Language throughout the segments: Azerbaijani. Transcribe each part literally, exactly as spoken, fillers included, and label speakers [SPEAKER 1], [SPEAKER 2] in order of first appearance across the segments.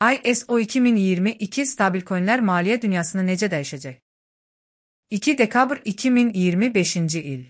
[SPEAKER 1] I S O iki min iyirmi iki Stabilcoinlər maliyyə dünyasını necə dəyişəcək? iki dekabr iki min iyirmi beşinci il.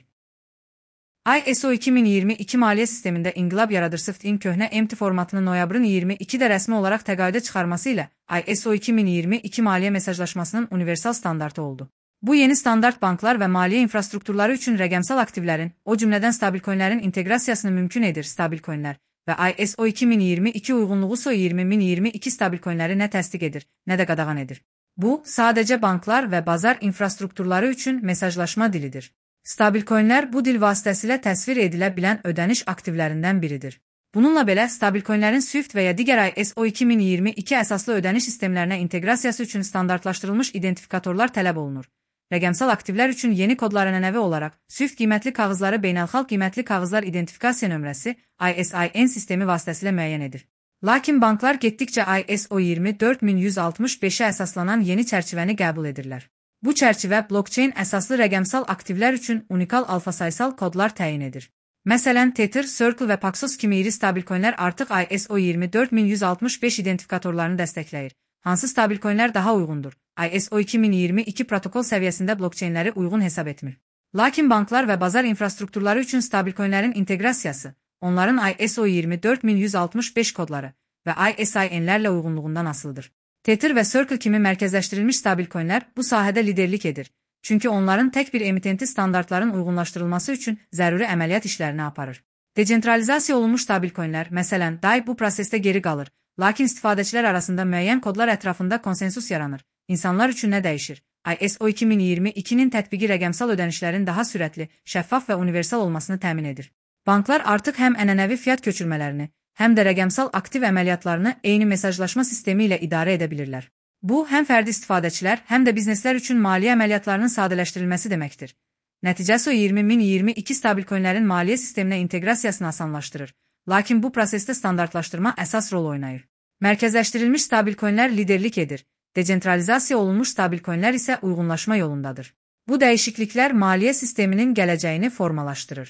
[SPEAKER 1] I S O iki min iyirmi iki maliyyə sistemində inqilab yaradır. Swift-in köhnə empty formatını noyabrın iyirmi ikidə rəsmi olaraq təqaüdə çıxarması ilə I S O iki min iyirmi iki maliyyə mesajlaşmasının universal standartı oldu. Bu yeni standart banklar və maliyyə infrastrukturları üçün rəqəmsal aktivlərin, o cümlədən stabilcoinlərin inteqrasiyasını mümkün edir. Stabilcoinlər və I S O iki min iyirmi iki uyğunluğu I S O iyirmi min iyirmi iki stabilcoinləri nə təsdiq edir, nə də qadağan edir. Bu, sadəcə banklar və bazar infrastrukturları üçün mesajlaşma dilidir. Stabilcoinlər bu dil vasitəsilə təsvir edilə bilən ödəniş aktivlərindən biridir. Bununla belə, stabilcoinlərin Swift və ya digər I S O iki min iyirmi iki əsaslı ödəniş sistemlərinə inteqrasiyası üçün standartlaşdırılmış identifikatorlar tələb olunur. Rəqəmsal aktivlər üçün yeni kodlar ənənəvi olaraq Swift qiymətli kağızları beynəlxalq qiymətli kağızlar identifikasiya nömrəsi I S I N sistemi vasitəsilə müəyyən edir. Lakin banklar getdikcə I S O iyirmi dörd min yüz altmış beşə əsaslanan yeni çərçivəni qəbul edirlər. Bu çərçivə blockchain əsaslı rəqəmsal aktivlər üçün unikal alfa-sayısal kodlar təyin edir. Məsələn, Tether, Circle və Paxos kimi iri stabilcoinlər artıq I S O iyirmi dörd min yüz altmış beş identifikatorlarını dəstəkləyir. Hansı stabilcoinlər daha uyğundur? I S O iki min iyirmi iki protokol səviyyəsində blockchainləri uyğun hesab etmir. Lakin banklar və bazar infrastrukturları üçün stabilcoinlərin inteqrasiyası, onların I S O iyirmi dörd min yüz altmış beş kodları və I S I N'lərlə uyğunluğundan asılıdır. Tether və Circle kimi mərkəzləşdirilmiş stabilcoinlər bu sahədə liderlik edir. Çünki onların tək bir emitenti standartların uyğunlaşdırılması üçün zəruri əməliyyat işlərini aparır. Decentralizasiya olunmuş stabilcoinlər, məsələn, D A I bu prosesdə geri qalır, lakin istifadəçilər arasında müəyyən kodlar ətrafında konsensus yaranır. İnsanlar üçün nə dəyişir? I S O iki min iyirmi ikinin tətbiqi rəqəmsal ödənişlərin daha sürətli, şəffaf və universal olmasını təmin edir. Banklar artıq həm ənənəvi fiat köçürmələrini, həm də rəqəmsal aktiv əməliyyatlarını eyni mesajlaşma sistemi ilə idarə edə bilirlər. Bu, həm fərdi istifadəçilər, həm də bizneslər üçün maliyyə əməliyyatlarının sadələşdirilməsi deməkdir. Nəticəsi I S O iyirmi min iyirmi iki stabilcoinlərin maliyyə sisteminə inteqrasiyasını asanlaşdırır. Lakin bu prosesdə standartlaşdırma əsas rol oynayır. Mərkəzləşdirilmiş stabilcoinlər liderlik edir. Decentralizasiya olunmuş stabilcoinlər isə uyğunlaşma yolundadır. Bu dəyişikliklər maliyyə sisteminin gələcəyini formalaşdırır.